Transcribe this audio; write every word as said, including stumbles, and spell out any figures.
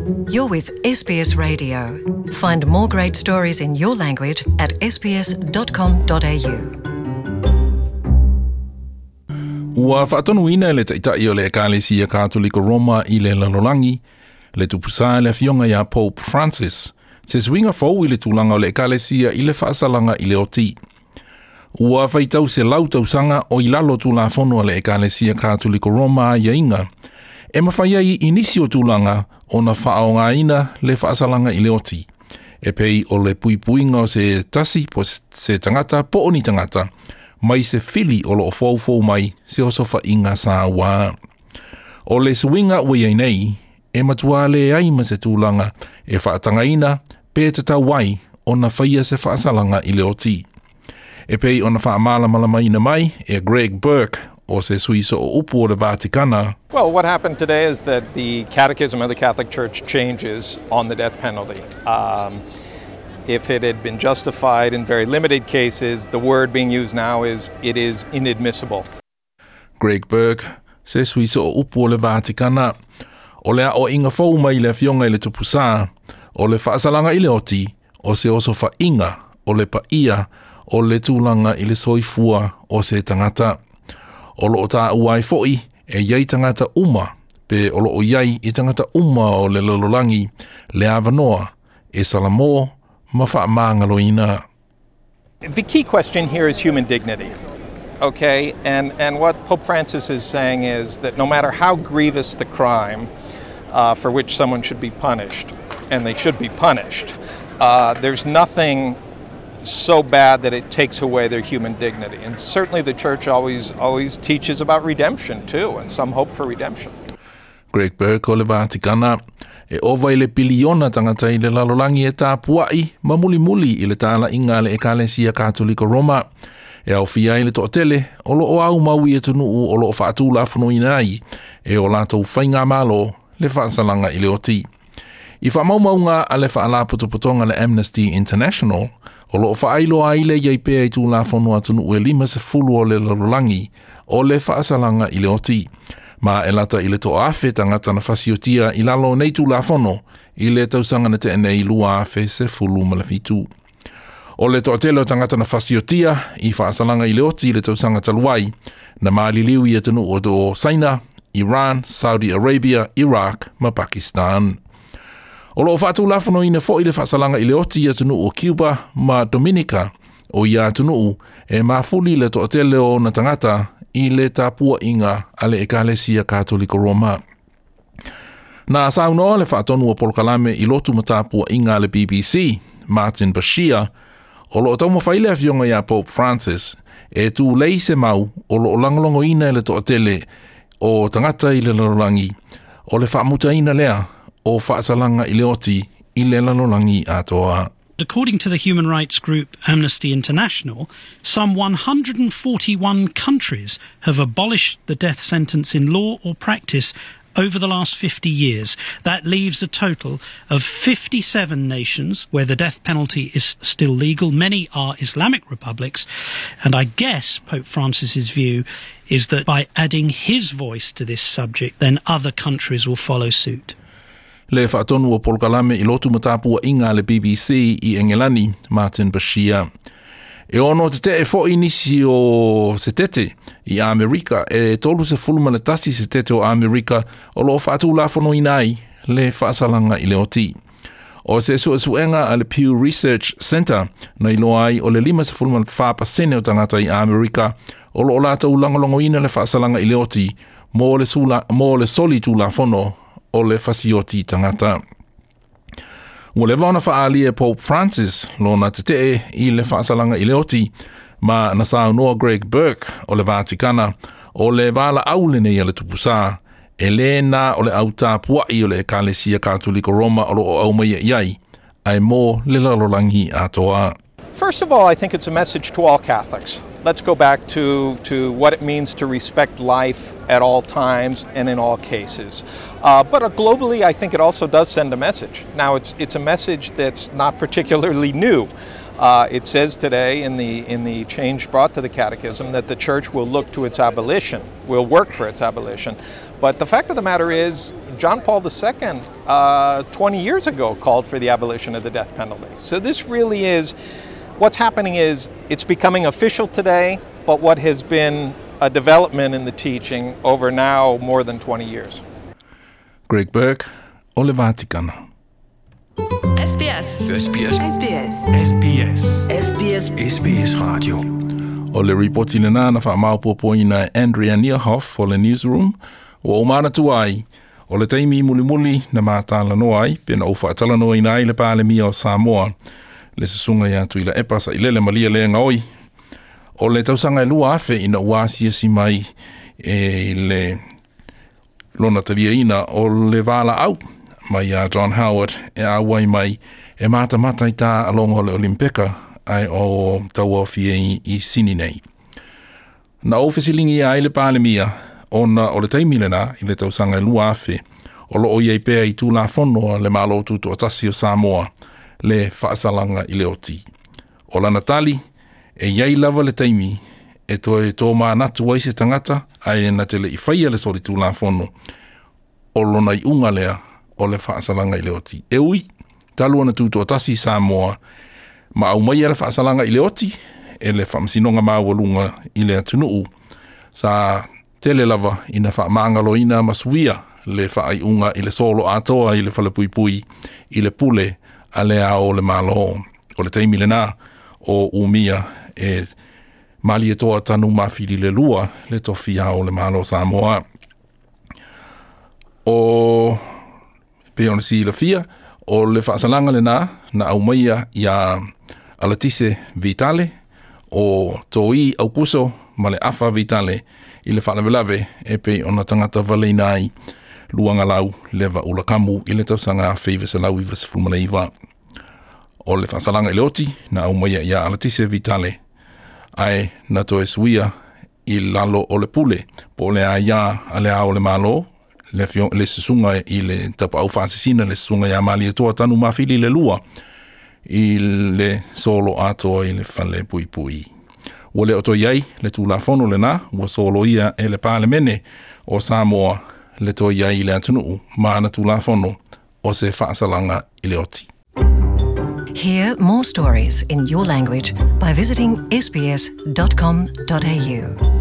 You're with S B S Radio. Find more great stories in your language at S B S dot com dot A U. Ua faatonuina e le taitai o le Ekalesia Katoliko Roma i le lalolagi, le Tupusā le afioga ia Pope Francis, se suiga fou i le tulaga o le Ekalesia i le faasalaga i le oti. Ua faitau selau tausaga o i lalo tulafono a le Ekalesia Katoliko Roma aiaiga, e mafai ai i nisi o tulaga ona faaaogaina le faasalaga i le oti. E pei o le puipuiga o se tasi po se tagata po o ni tagata, mai se fili o loo foufou mai se osofaiga sauā. O le suiga ua iai nei, e matua leai ma se tulaga e faatagaina pe tatau ai ona faia se faasalaga i le oti. E pei ona faamalamalamaina mai e Greg Burke o se sui sooupu o le Vatikana. Well, what happened today is that the Catechism of the Catholic Church changes on the death penalty. Um, if it had been justified in very limited cases, the word being used now is it is inadmissible. Greg Burke, se sui sooupu o le Vatikana. O le aoaiga fou mai le afioga i le Tupusā, o le faasalaga i le oti, o se osofaiga, o le paia, o le tulaga i le soifua o se tagata. O loo taua ai foi e iai tagata uma, pe o loo iai i tagata uma o le lalolagi, le avanoa, e salamō ma faamagaloina. The key question here is human dignity. Okay, and, and what Pope Francis is saying is that no matter how grievous the crime uh, for which someone should be punished, and they should be punished, uh, there's nothing so bad that it takes away their human dignity. And certainly the church always always teaches about redemption too, and some hope for redemption. Greg Burke o le Vatikana. E ova i le piliona tagata i le lalolagi e tapuai ma mulimuli i le talaiga a le Ekalesia Katoliko Roma. E aofia ai le toatele o loo aumau i atunuu o loo faatulafonoina ai e o latou faigamalo le faasalaga i le oti. I faamaumauga a le faalapotopotoga le Amnesty International, o loo faailoa ai le iai pea i tulafono atunuu e lima sefulu o le lalolagi o le faasalaga i le oti. Ma e lata i le toaafe tagata na fasiotia i lalo nei tulafono i le tausaga na tea nei lua afe sefulu ma le fitu. O le toatele o tagata na fasiotia i faasalaga i le oti i le tausaga talu ai, na maliliu i atunuu o Saina, Iran, Saudi Arabia, Iraq ma Pakistan. O loo faatulafonoina foi le faasalaga i le oti i atunuu o Cuba ma Dominica, o ia atunuu e mafuli le toatele o ona tagata i le tapuaiga a le Ekalesia Katoliko Roma. Na saunoa le faatonu o polokalame i lotu ma tapuaiga a le B B C, Martin Bashir, o loo taumafai le afioga ia Pope Francis e tulei se mau o loo lagolagoina e le toatele o tagata i le lalolagi o le faamutaina lea o faasalaga i le oti i le lalolagi atoa. According to the human rights group Amnesty International, some one hundred forty-one countries have abolished the death sentence in law or practice over the last fifty years. That leaves a total of fifty-seven nations where the death penalty is still legal. Many are Islamic republics. And I guess Pope Francis's view is that by adding his voice to this subject, then other countries will follow suit. Le faatonu o polokalame i lotu ma tapuaiga a le B B C i Engelani, Martin Bashir. E ono tetee foi nisi o setete i Amerika, e tolu sefulu ma le tasi setete o Amerika o loo faatulafonoina ai le faasalaga i le oti. O se suesuega a le Pew Research Center na iloa ai o le lima sefulu ma le fa pasene o tagata i Amerika o loo latou lagolagoina le faasalaga i le oti mo le, sula, mo le soli tulafono o le fasioti tagata. Ua leva ona faaalia e Pope Francis lona tetee i le faasalaga i le oti, ma na saunoa Greg Burke o le Vatikana o le valaau lenei a le Tupusā e lē na o le au tapuai o le Ekalesia Katoliko Roma o loo aumaia i ai, ae mo le lalolagi atoa. First of all, I think it's a message to all Catholics. Let's go back to, to what it means to respect life at all times and in all cases. Uh, but uh, globally, I think it also does send a message. Now, it's, it's a message that's not particularly new. Uh, it says today in the, in the change brought to the Catechism that the Church will look to its abolition, will work for its abolition. But the fact of the matter is, John Paul the Second, uh, twenty years ago, called for the abolition of the death penalty. So this really is, what's happening is, it's becoming official today, but what has been a development in the teaching over now more than twenty years. Greg Burke, o le Vatikana. S B S. S B S. S B S. S B S. S B S. S B S Radio. O le ripoti lena na whaamaupopoina Andrea Nierhoff o le Newsroom, o o tuai, o le taimi mulimuli na mātālanoa ai, pena o whaatalanoa ina ai le Palemia o Samoa, le susunga ia tui la epa sa ilele malia le ngaoi. O le tausanga e lua afe ina ua asiasi mai e le lona talia ina o le vala au mai a John Howard e a wai mai e mata mata i tā alongo le Olimpika ai o taua fie i, i sini nei. Na o fesilingi ai le Palemia ona o le taimi lena i le tausanga e lua afe o loo iei pea i tūla fono le malo tutu o tasi o Samoa le whaasalanga i le oti. O lana tali e iai lava le taimi e toe tō mānatu ai se tangata ai na te le i whaia le sori tūla fono o lona i unga lea o le whaasalanga i le oti. E ui, talu ana tū tasi Samoa, ma au mai le whaasalanga i le oti, e le whaamasinonga maualunga i le atunuu, sa tele lava ina whaamangaloina masuia le whaaiunga i le solo atoa i le whalepuipui i le pule a le ao le malo. O le taimi lena o umia e mali e toa tanu mawhili le lua le tofi ao le malo Samoa. O pe ona si la fia, o le whaasalanga le nā, na au maia ia Alatise Vitale, o toi aukuso ma le afa Vitale i le whaalavelave e pe ona tangata valeina ai luanga lau leva ulakamu i le tausanga a whiva se lau iwa se fumaleiva. O le whaasalanga i le oti, na au maia ia Alatise Vitale, ai na toe suia i lalo o le pule, po le a ia a le ao le malo, le, fio, le susunga i le tapa au whaasisina, le susunga ia mali e toa tanu mawhili le lua i le solo atoa i le whale pui pui. Ua le oto iai le tūlafono le nā, ua solo ia e le Palemene o Samoa le toi iai i le atunuu, maana tūlafono o se whaasalanga i le oti. Hear more stories in your language by visiting s b s dot com dot a u.